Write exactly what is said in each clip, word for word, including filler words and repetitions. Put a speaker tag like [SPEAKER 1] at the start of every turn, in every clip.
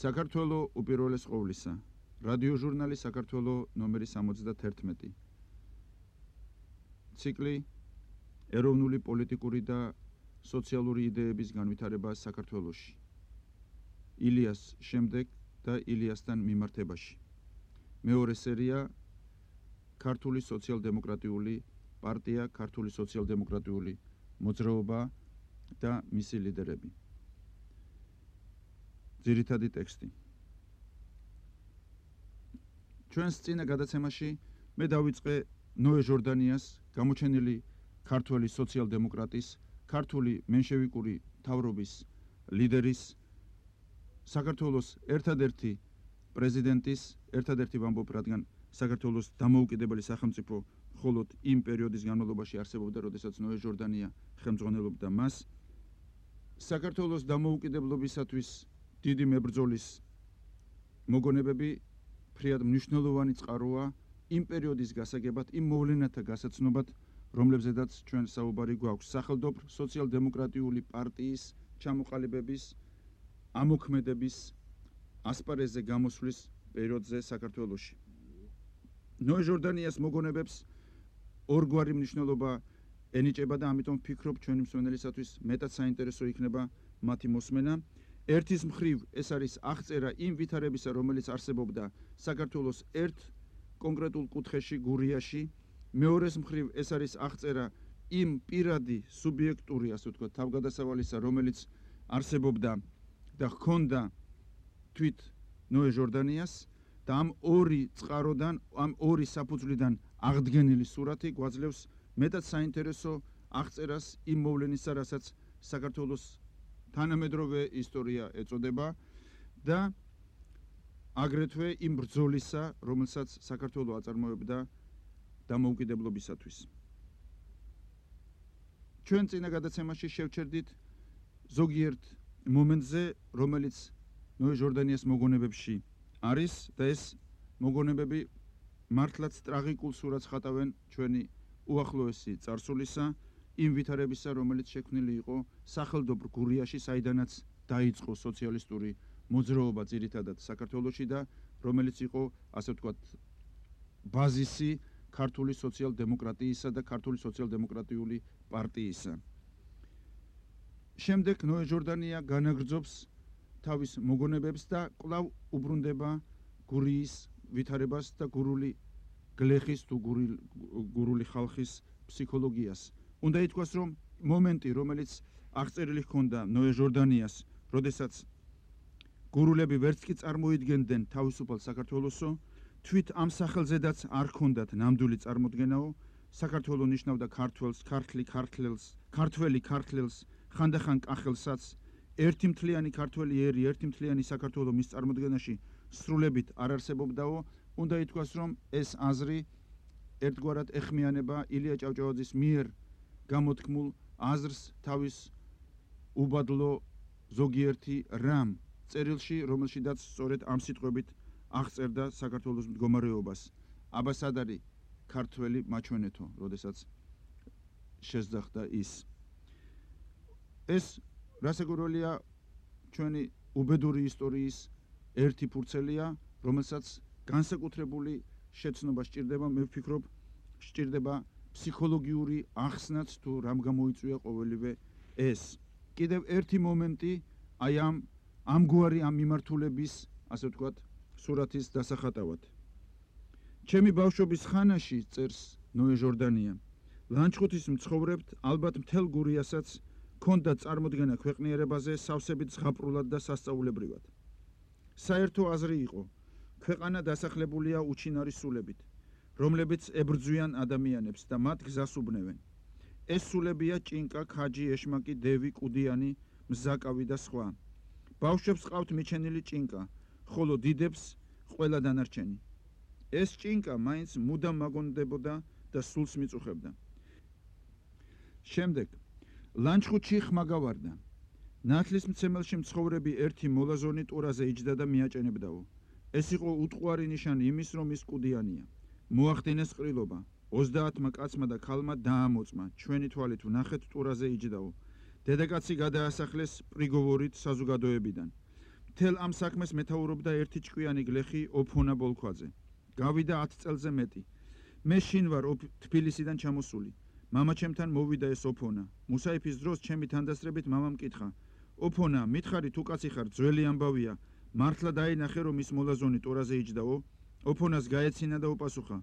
[SPEAKER 1] საქართველო უპირველეს ყოვლისა. რადიო ჟურნალი საქართველო ნომერი სამოცდათერთმეტი. ციკლი ეროვნული პოლიტიკური და სოციალური იდეების განვითარება საქართველოში. ილიას შემდეგ და ილიასთან მიმართებაში. მეორე სერია ქართული სოციალ-დემოკრატიული პარტია, ქართული სოციალ-დემოკრატიული მოძრაობა და მისი ლიდერები. ძირითადი ტექსტი. ჩვენს წინა გადაცემაში მე დავიწყე ნოე ჟორდანიას, გამოჩენილი ქართველი სოციალ-დემოკრატის, ქართული მენშევიკური მთავრობის ლიდერის, საქართველოს ერთადერთი პრეზიდენტის, ერთადერთი ვამბობ, რადგან საქართველოს დამოუკიდებელი სახელმწიფო მხოლოდ იმ პერიოდის განმავლობაში არსებობდა, როდესაც ნოე ჟორდანია ხელმძღვანელობდა მას. საქართველოს დამოუკიდებლობისათვის დიდი მებრძოლის მოგონებები ფრიად მნიშვნელოვანი წყაროა იმ პერიოდის გასაგებად, იმ მოვლენათა გასაცნობად, რომლებზედაც ჩვენ საუბარი გვაქვს. სახელმწიფო სოციალ-დემოკრატიული პარტიის ჩამოყალიბების, ამოქმედების ასპარეზზე გამოსვლის პერიოდზე საქართველოში. ნოე ჟორდანიას მოგონებებს ორგვარი მნიშვნელობა ენიჭება და ამიტომ ვფიქრობ, ჩვენი მსმენელისათვის მეტად საინტერესო იქნება მათი მოსმენა. ერთის მხრივ ეს არის აღწერა იმ ვითარებისა, რომელიც არსებობდა საქართველოს ერთ კონკრეტულ კუთხეში, გურიაში. მეორეს მხრივ ეს არის აღწერა იმ პირადი სუბიექტური, ასე ვთქვათ, თავგადასავალისა, რომელიც არსებობდა და ჰქონდა თვით ნოე ჟორდანიას და ამ ორი წყაროდან, ამ ორი საფუძვლიდან აღდგენილი სურათი გვაძლევს მეტად საინტერესო აღწერას იმ მოვლენისა, რასაც საქართველოს თანამედროვე ისტორია ეწოდება და აგრეთვე იმ ბრძოლისა, რომელსაც საქართველო აწარმოებდა დამოუკიდებლობისათვის. ჩვენ წინა გადაცემაში შევჩერდით ზოგიერთ მომენტზე, რომელიც ნოე ჟორდანიას მოგონებებში არის და ეს მოგონებები მართლაც ტრაგიკულ სურათს ხატავენ ჩვენი უახლოესი წარსულისა, იმ ვითარებისა, რომელიც შექმნილი იყო სახელმწიფო გურიაში, საიდანაც დაიწყო სოციალისტური მოძრაობა ძირითადად საქართველოში და რომელიც იყო, ასე ვთქვათ, ბაზისი ქართული სოციალ-დემოკრატიისა და ქართული სოციალ-დემოკრატიული პარტიისა. შემდეგ ნოე ჟორდანია განაგრძობს თავის მოგონებებს და კვლავ უბრუნდება გურიის ვითარებას და გურული გლეხის თუ გურული ხალხის ფსიქოლოგიას. უნდა ითქვას, რომ მომენტი, რომელიც აღწერილი ჰქონდა ნოე ჟორდანიას, როდესაც გურულები ვერც კი წარმოიდგენდნენ თავისუფალ საქართველოსო, თვით ამ სახელზედაც არ ჰქონდათ ნამდვილი წარმოდგენაო, საქართველო ნიშნავდა ქართველს, ქართლი ქართლელს, ქართველი ქართლელს, ხანდახან კახელსაც, ერთი მთლიანი ქართველი ერი, ერთი მთლიანი საქართველო მის წარმოდგენაში სრულებით არ არსებობდაო. უნდა ითქვას, რომ ეს აზრი ერთგვარად ეხმიანება ილია ჭავჭავაძის მიერ გამოთქმულ აზრს თავის უბადლო ზოგიერთი რამ წერილში, რომელშიდაც სწორედ ამ სიტყვებით აღწერდა საქართველოს მდგომარეობას. აბასადარი ქართველი მაჩვენეთო, როდესაც შესძახდა ის. ეს რასაკვირველია ჩვენი უბედური ისტორიის ერთი ფურცელია, რომელსაც განსაკუთრებული შეცნობა სჭირდება, მე ვფიქრობ, სჭირდება ფსიქოლოგიური ახსნაც თუ რამ გამოიწვია ყოველივე ეს. კიდევ ერთი მომენტი აი ამ ამგვარი ამ მიმართულების, ასე ვთქვათ, სურათის დასახატავად. ჩემი ბავშვობის ხანაში, წერს ნოე ჟორდანია, ლანჩხუთის მცხოვრებთ, ალბათ მთელ გურიასაც ჰქონდა წარმოდგენა ქვეყნიერებაზე სავსებით ზღაპრულად და სასწაულებრივად. საერთო აზრი იყო, ქვეყანა დასახლებულია უჩინარი სულებით, რომლებიც ებრძვიან ადამიანებს და მათ გზას უბნევენ. ეს სულებია ჭინკა, ქაჯი, ეშმაკი, დევი, კუდიანი, მზაკავი და სხვა. ბავშვებს ყავთ მიჩენილი ჭინკა, ხოლო დიდებს ყველა დანარჩენი. ეს ჭინკა მაინც მუდამ მაგონდებოდა და სულს მიწუხებდა. შემდეგ ლანჩხუთში ხმა გავარდა. ნათლის მცემელში მცხოვრები ერთი მოლაზონი ტურაზე იჯდა და მიაჭენებდაო. ეს იყო უტყუარი ნიშანი იმის, რომ ის კუდიანია. მოახდინეს ყრილობა. ოცდაათმა კაცმა და ქალმა დაამოწმა. ჩვენი თვალით ვნახეთ ტურაზე იჯდაო. დედაკაცი გადაასახლეს პრიგოვორით საზოგადოებიდან. მთელ ამ საქმეს მეთაურობდა ერთი ჭკვიანი გლეხი ოფონა ბოლქვაძე. გავიდა ათ წელზე მეტი. მე შინ ვარ თბილისიდან ჩამოსული. მამაჩემთან მოვიდა ეს ოფონა. მუსაიფის დროს ჩემი თანდასწრებით მამამ მკითხა: ოფონა, მითხარი თუ კაცი ხარ, ძველი ამბავია, მართლა დაინახე რომ ის მოლაზონი ტორაზე იჯდაო? ოფონას გაეცინა და უპასუხა: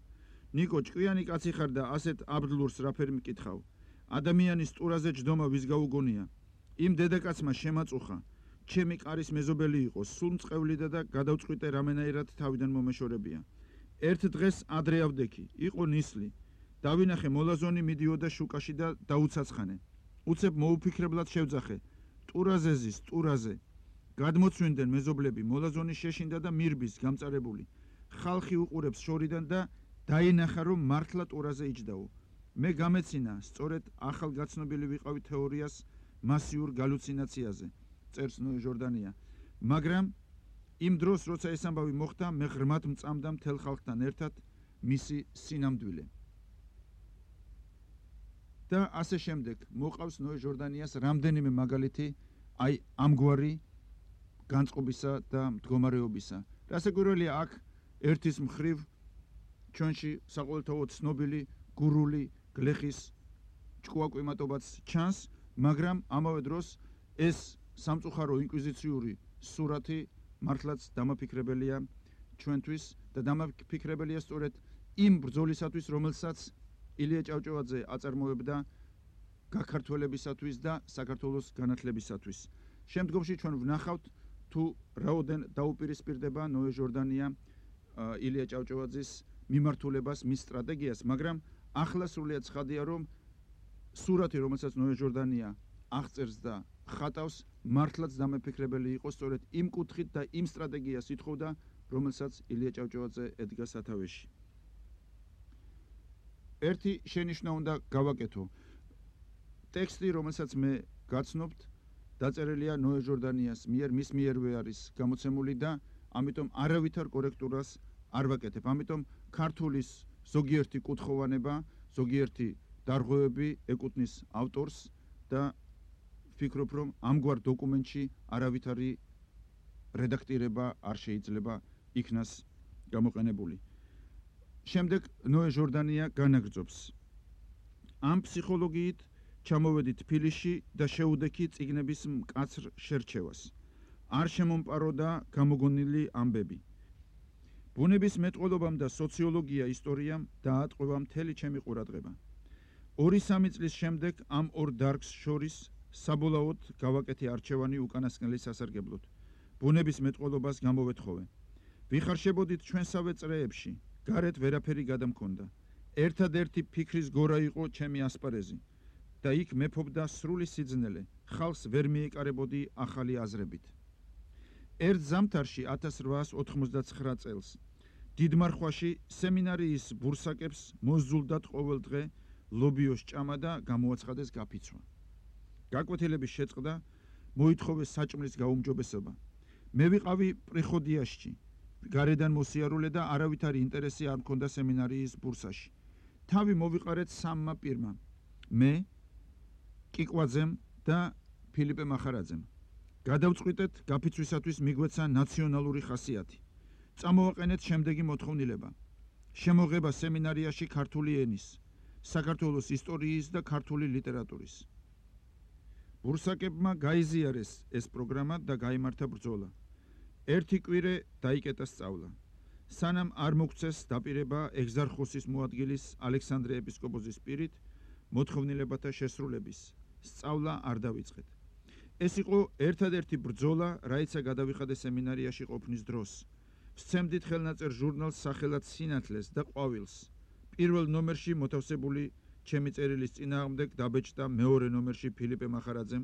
[SPEAKER 1] ნიკო, ჭკვიანი კაცი ხარ და ასეთ აბდლურს რაფერი მკითხავ? ადამიანის ტურაზე ჯდომა ვის გაუგონია? იმ დედაკაცმა შემაწუხა. ჩემი კარის მეზობელი იყო, სულ მწყევლიდა და გადავწყვიტე რამენაირად თავიდან მომეშორებია. ერთ დღეს ადრე ავდექი, იყო ნისლი. დავინახე მოლაზონი მიდიოდა შუკაში და დაუცაცხანე. უცებ მოუფიქრებლად შევძახე: ტურაზე ზის, ტურაზე. გადმოცვინდნენ მეზობლები, მოლაზონი შეშინდა და მირბის გამწარებული. ხალხი უყურებს შორიდან და დაინახა რომ მართლა ტურაზე იჯდაო. მე გამეცინა, სწორედ ახალგაცნობილი ვიყავი თეორიას მასიურ გალუცინაციაზე, წერს ნოე ჟორდანია. მაგრამ იმ დროს, როცა ეს ამბავი მოხდა, მე ღრმად მწამდა მთელ ხალხთან ერთად მისი სინამდვილე. და ასე შემდეგ მოყავს ნოე ჟორდანიას რამდენიმე მაგალითი აი ამგვარი განწყობისა და მდგომარეობისა. რასაკვირველია, აქ ერთის მხრივ ჩვენში საყოველთაოდ ცნობილი გურული გლეხის ჭკუაკვიმატობაც ჩანს, მაგრამ ამავე დროს ეს სამწუხარო ინკვიზიციური სურათი მართლაც დამაფიქრებელია ჩვენთვის და დამაფიქრებელია სწორედ იმ ბრძოლისათვის, რომელსაც ილია ჭავჭავაძე აწარმოებდა გაქართველებისათვის და საქართველოს განათლებისათვის. შემდგომში ჩვენ ვნახავთ თუ რაოდენ დაუპირისპირდება ნოე ჟორდანია ილია ჭავჭავაძის მიმართულებას, მის სტრატეგიას, მაგრამ ახლა სრულიად ცხადია, რომ სურათი, რომელსაც ნოე ჟორდანია აღწერს და ხატავს, მართლაც დამაფიქრებელი იყო სწორედ იმ კუთხით და იმ სტრატეგიას ითხოვდა, რომელსაც ილია ჭავჭავაძე ედგა სათავეში. ერთი შენიშვნა უნდა გავაკეთო. ტექსტი, რომელსაც მე გაცნობთ, დაწერილია ნოე ჟორდანიას მიერ, მის მიერვე არის გამოცემული და ამიტომ არავითარ კორექტურას არ ვაკეთებ. ამიტომ ქართულის ზოგიერთი კუთხოვანება, ზოგიერთი დარღვევები ეკუთვნის ავტორს და ვფიქრობ, რომ ამგვარ დოკუმენტში არავითარი რედაქტირება არ შეიძლება იქნას გამოყენებული. შემდეგ ნოე ჟორდანია განაგრძობს: ამ ფსიქოლოგიით ჩამოვედი თბილისში და შეუდექი წიგნების მკაცრ შერჩევას. არ შემომპაროდა გამოგონილი ამბები. ბუნების მეტყველობამ და სოციოლოგია ისტორიამ დაატყვევა მთელი ჩემი ყურადღება. ორი-სამი წლის შემდეგ ამ ორ დარგს შორის საბოლოოდ გავაკეთე არჩევანი უკანასკნელი სასარგებლოდ. ბუნების მეტყველობას გამოვეთხოვე. ვიხარშებოდით ჩვენსავე წრეებში, გარეთ ვერაფერი გადამქონდა. ერთადერთი ფიქრის გორა იყო ჩემი ასპარეზი და იქ მეფობდა სრული სიძნელე, ხალხს ვერ მიეკარებოდი ახალი აზრებით. ერთ ზამთარში ათას რვაას ოთხმოცდაცხრა წელს დიდმარხვაში სემინარიის ბურსაკებს მოზულდათ ყოველ დღე ლობიოს ჭამა და გამოაცხადეს გაფიცვა. გაკვეთილების შეწყდა, მოითხოვეს საჭმლის გაუმჯობესება. მე ვიყავი პრიხოდიაშში, გარედან მოსიარულე და არავითარი ინტერესი არ მქონდა სემინარიის ბურსაში. თავი მოვიყარეთ სამმა პირმა, მე, კიკვაძემ და ფილიპე მახარაძემ. გადავწყვიტეთ გაფიცვისათვის მიგვეცა ნაციონალური ხასიათი. წამოვაყენეთ შემდეგი მოთხოვნილება: შემოღება სემინარიაში ქართული ენის, საქართველოს ისტორიის და ქართული ლიტერატურის. ბურსაკებმა გაიზიარეს ეს პროგრამა და გაიმართა ბრძოლა. ერთი კვირე დაიკეტა სწავლა. სანამ არ მოგცეს დაპირება ეგზარხოსის მოადგილის ალექსანდრე ეპისკოპოსის პირით მოთხოვნილებათა შესრულების, სწავლა არ დავიწყეთ. ეს იყო ერთადერთი ბრძოლა, რაიცა გადავიხადე სემინარიაში ყოფნის დროს. ვსცემდით ხელნაწერ ჟურნალს სახელად სინათლეს და ყვავილს. პირველ ნომერში მოთავსებული ჩემი წერილის წინააღმდეგ დაბეჭდა მეორე ნომერში ფილიპე მახარაძემ,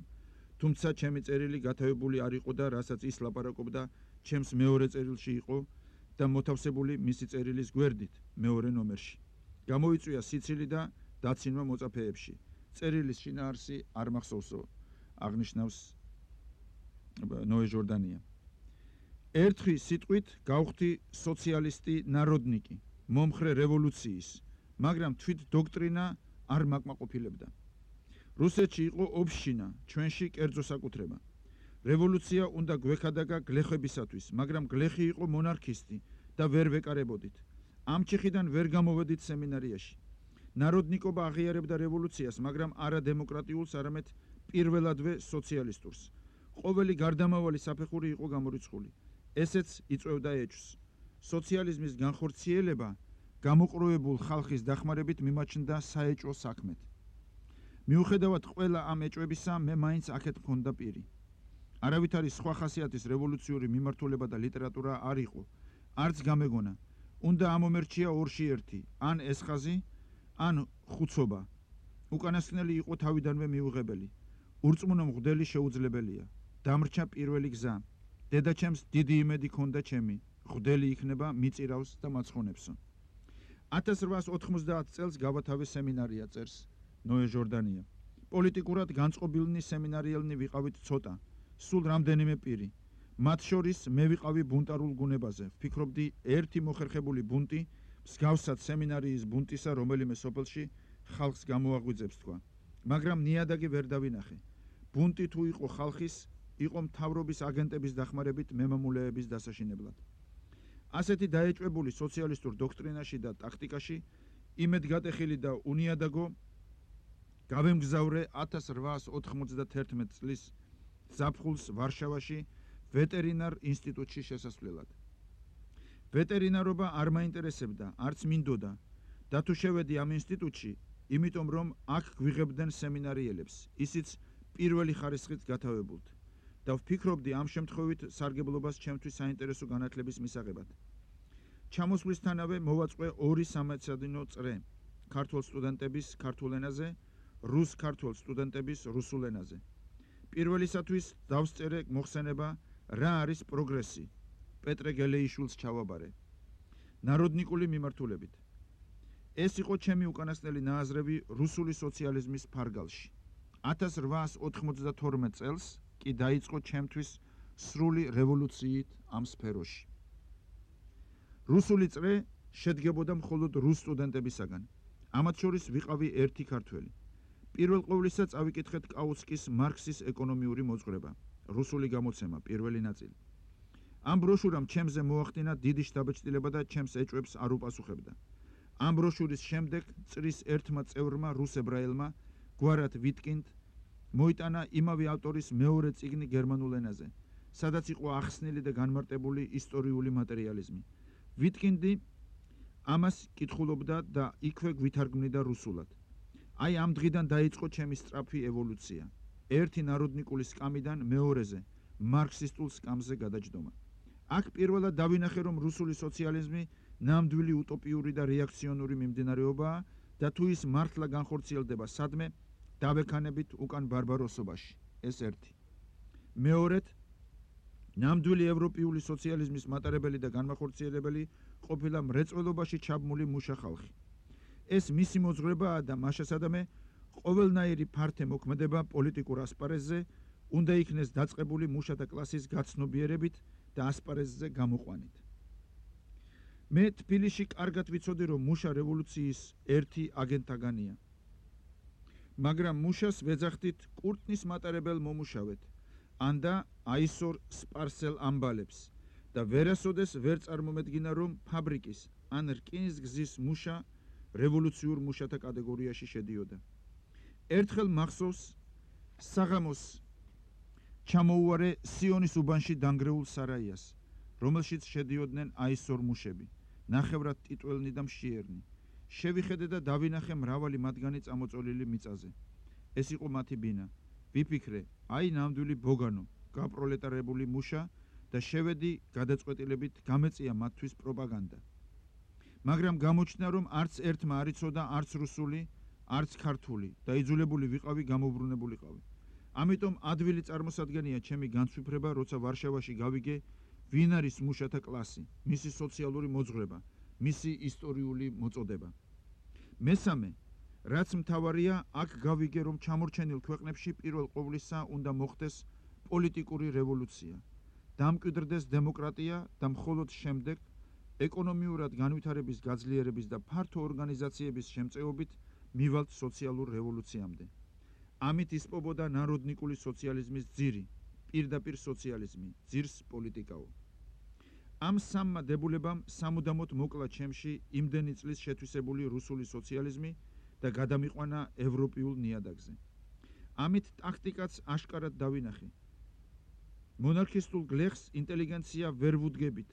[SPEAKER 1] თუმცა ჩემი წერილი გათავებული არ იყო და რასაც ის ლაპარაკობდა, ჩემს მეორე წერილში იყო და მოთავსებული მისი წერილის გვერდით მეორე ნომერში. გამოიწვია სიცილი და დაცინვა მოწაფეებში. წერილის შინაარსი არ მახსოვსო, აღნიშნავს ნოე ჟორდანია. ერთხი სიტყვით გავხდი სოციალისტი ნაროდნიკი, მომხრე რევოლუციის, მაგრამ თვით დოქტრინა არ მაკმაყოფილებდა. რუსეთში იყო ობშინა, ჩვენში კერძო საკუთრება. რევოლუცია უნდა გვექადაგა გლეხებისათვის, მაგრამ გლეხი იყო მონარქისტი და ვერ ვეკარებოდით. ამ ჩიხიდან ვერ გამოვედით სემინარიაში. ნაროდნიკობა აღიარებდა რევოლუციას, მაგრამ არა დემოკრატიულს, არამედ პირველადვე სოციალისტურს. ყოველი გარდამავალი საფეხური იყო გამორიცხული. ესეც იწვევდა ეჭვს. სოციალიზმის განხორციელება გამოყრუებულ ხალხის დახმარებით მიმაჩნდა საეჭვო საქმედ. მიუხედავად ყველა ამ ეჭვებისა, მე მაინც აქეთ მქონდა პირი. არავითარი სხვა ხასიათის რევოლუციური მიმართულება და ლიტერატურა არ იყო. არც გამეგონა. უნდა ამომერჩია ორში ერთი, ან ეს ხაზი, ან ხუცობა. უკანასკნელი იყო თავიდანვე მიუღებელი. ურწმუნო მღვდელი შეუძლებელია. დამრჩა პირველი გზა. დედაჩემს დიდი იმედი ჰქონდა ჩემი. მღვდელი იქნება, მიწირავს და მაცხონებსო. ათას რვაას ოთხმოცდაათ წელს გავათავე სემინარია, წერს ნოე ჟორდანია. პოლიტიკურად განწყობილნი სემინარიელნი ვიყავით ცოტა, სულ რამდენიმე პირი. მათ შორის მე ვიყავი ბუნტარულ გუნებაზე. ვფიქრობდი, ერთი მოხერხებული ბუნტი, მსგავსად სემინარიის ბუნტისა რომელიმე სოფელში ხალხს გამოაღვიძებს თქვა. მაგრამ ნიადაგი ვერ დავინახე. ბუნტი თუ იყო ხალხის, იყო მთავრობის აგენტების დახმარებით მემამულეების დასაშინებლად. ასეთი დაეჭვებული სოციალისტურ დოქტრინაში და ტაქტიკაში იმედგატეხილი და უნიადაგო გავემგზავრე ათას რვაას ოთხმოცდათერთმეტ წლის ზაფხულს ვარშავაში ვეტერინარ ინსტიტუტში შესასვლელად. ვეტერინარობა არ მაინტერესებდა, არც მინდოდა და თუ შევედი ამ ინსტიტუტში, იმიტომ რომ აქ გვიღებდნენ სემინარიელებს, ისიც პირველი ხარისხით გათავებულთ. და ვფიქრობდი ამ შემთხვევით სარგებლობას ჩემთვის საინტერესო განათლების მისაღებად. ჩამოსვლისთანავე მოვაწყვე ორი სამეცნიერო წრე ქართულ სტუდენტების ქართულ ენაზე, რუს-ქართულ სტუდენტების რუსულ ენაზე. პირველისათვის დავსწერე მოხსენება რა არის პროგრესი. პეტრე გელეიშვილს ჩავაბარე. ნაროდნიკული მიმართულებით. ეს იყო ჩემი უკანასკნელი ნააზრევი რუსული სოციალიზმის ფარგალში. ათას რვაას ოთხმოცდათორმეტ წელს კი დაიწყო ჩემთვის სრული რევოლუციით ამ სფეროში. რუსული წრე შედგებოდა მხოლოდ რუს სტუდენტებისაგან. ამათ შორის ვიყავი ერთი ქართველი. პირველ ყოვლისა წავიკითხეთ კაუცკის მარქსის ეკონომიური მოძღვრება, რუსული გამოცემა, პირველი ნაწილი. ამ ბროშურამ ჩემზე მოახდინა დიდი შთაბეჭდილება და ჩემს ეჭვებს არ უპასუხებდა. ამ ბროშურის შემდეგ წრის ერთმა წევრმა რუს ებრაელმა, გვარად ვიტკინდ, მოიტანა იმავე ავტორის მეორე წიგნი გერმანულ ენაზე, სადაც იყო ახსნილი და განმარტებული ისტორიული მატერიალიზმი. ვიტკინდი ამას კითხულობდა და იქვე გვითარგმნიდა რუსულად. აი ამ დღიდან დაიწყო ჩემი სწრაფი ევოლუცია. ერთი ნაროდნიკული სკამიდან მეორეზე, მარქსისტულ სკამზე გადაჯდომა. აქ პირველად დავინახე, რომ რუსული სოციალიზმი ნამდვილი უტოპიური და რეაქციონური მიმდინარეობაა და თუ ის მართლა განხორციელდება სადმე, დავექანებით უკან ბარბაროსობაში. ეს ერთი. მეორედ, ნამდვილი ევროპიული სოციალიზმის მატარებელი და განმახორციელებელი ყოფილა მრეწველობაში ჩაბმული მუშა ხალხი. ეს მისი მოძღვრებაა და მაშასადამე ყოველნაირი ფართე მოქმედება პოლიტიკურ ასპარეზზე უნდა იქნეს დაწყებული მუშათა კლასის გაცნობიერებით და ასპარეზზე გამოყვანით. მე თბილისში კარგად ვიცოდი, რომ მუშა რევოლუციის ერთი აგენტთაგანია. მაგრამ მუშას ვეძახდით კურტნის მატარებელ მომუშავედ, ანდა აისორ სპარსელ ამბალებს და ვერასოდეს ვერ წარმომედგინა, რომ ფაბრიკის ან რკინისგზის მუშა რევოლუციურ მუშათა კატეგორიაში შედიოდა. ერთხელ მახსოვს საღამოს ჩამოუვარე სიონის უბანში დანგრეულ სარაიას, რომელშიც შედიოდნენ აისორ მუშები, ნახევრად ტიტველნი და მშიერნი. შევიხედე და დავინახე მრავალი მათგანი წამოწოლილი მიწაზე. ეს იყო მათი ბინა. ვიფიქრე, აი ნამდვილი ბოგანო, გაპროლეტარებული მუშა და შევედი გადაწყვეტილებით გამეწია მათთვის პროპაგანდა. მაგრამ გამოჩნდა, რომ არც ერთმა არ იცოდა არც რუსული, არც ქართული და იძულებული ვიყავი გამოუბრუნებულიყავი. ამიტომ ადვილი წარმოსადგენია ჩემი განცვიფრება, როცა ვარშავაში გავიგე, ვინ არის მუშათა კლასი, მისი სოციალური მოძღვრება, მისი ისტორიული მოწოდება. მესამე, რაც მთავარია, აქ გავიგე, რომ ჩამორჩენილ ქვეყნებში პირველ ყოვლისა უნდა მოხდეს პოლიტიკური რევოლუცია, დამკვიდრდეს დემოკრატია და მხოლოდ შემდეგ ეკონომიურად განვითარების გაძლიერების და ფართო ორგანიზაციების შემწეობით მივალთ სოციალურ რევოლუციამდე. ამით ისპობოდა ნაროდნიკული სოციალიზმის ძირი, პირდაპირ სოციალიზმი, ძირს პოლიტიკაო. ამ სამმა დებულებამ სამუდამოდ მოკლა ჩემში იმდენი წლის შეთვისებული რუსული სოციალიზმი და გადამიყვანა ევროპიულ ნიადაგზე. ამით ტაქტიკაც აშკარად დავინახე. მონარქისტულ გლეხს ინტელიგენცია ვერ ვუდგებით,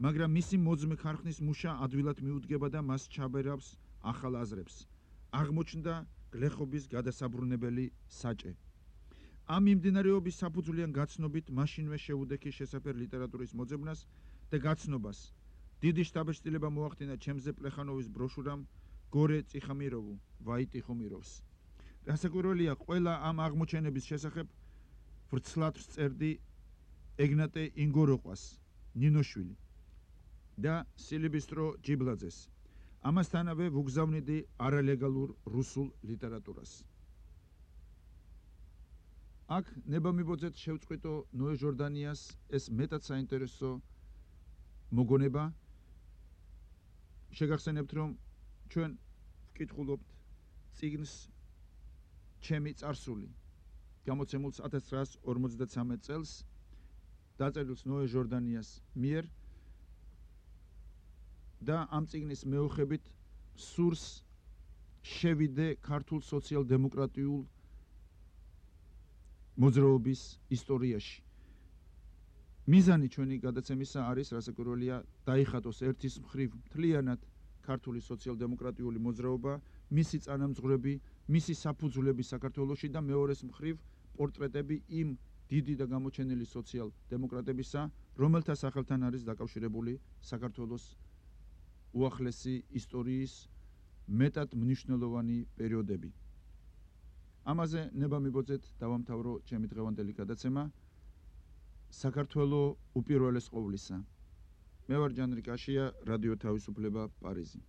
[SPEAKER 1] მაგრამ მისი მოძმე ქარხნის მუშა ადვილად მიუდგება და მას ჩაბერავს ახალ აზრებს. აღმოჩნდა გლეხობის გადასაბრუნებელი საჭე. ამ მიმდინარეობის საფუძვლიან გაცნობით მაშინვე შეუდექი შესაფერ ლიტერატურის მოძებნას და გაცნობას. დიდი შთაბეჭდილება მოახდინა ჩემზე პლეხანოვის ბროშურამ გორე წიხამიროვუ, ვაიტი ხუმიროვს. რასაკვირველია, ყველა ამ აღმოჩენების შესახებ ვრცლად ვწერდი ეგნატე ინგოროყვას, ნინოშვილი და სილიბისტრო ჯიბლაძეს. ამასთანავე ვუგზავნიდი არალეგალურ რუსულ ლიტერატურას. აქ ნებამიბოძეთ შევწყვიტო ნოე ჟორდანიას ეს მეტად საინტერესო მოგონება. შეგახსენებთ, რომ ჩვენ ვკითხულობთ წიგნს ჩემი წარსული, გამოცემულს ათას ცხრაას ორმოცდათვრამეტ წელს, დაწერილს ნოე ჟორდანიას მიერ და ამ წიგნის მეოხებით სურს შევიდე ქართულ სოციალ-დემოკრატიულ მოძრაობის ისტორიაში. მიზანი ჩვენი გადაცემისა არის, რასაკვირველია, დაიხატოს ერთის მხრივ მთლიანად ქართული სოციალ-დემოკრატიული მოძრაობა, მისი წანამძღვრები, მისი საფუძვლები საქართველოში და მეორეს მხრივ პორტრეტები იმ დიდი და გამოჩენილი სოციალ-დემოკრატებისა, რომელთა სახელთან არის დაკავშირებული საქართველოს უახლესი ისტორიის მეტად მნიშვნელოვანი პერიოდები. ამაზე ნებამიბოძეთ დავამთავრო ჩემი დღევანდელი გადაცემა. საქართველო უპირველეს ყოვლისა. მე ვარ ჯანრი კაშია, რადიო თავისუფლება, პარიზი.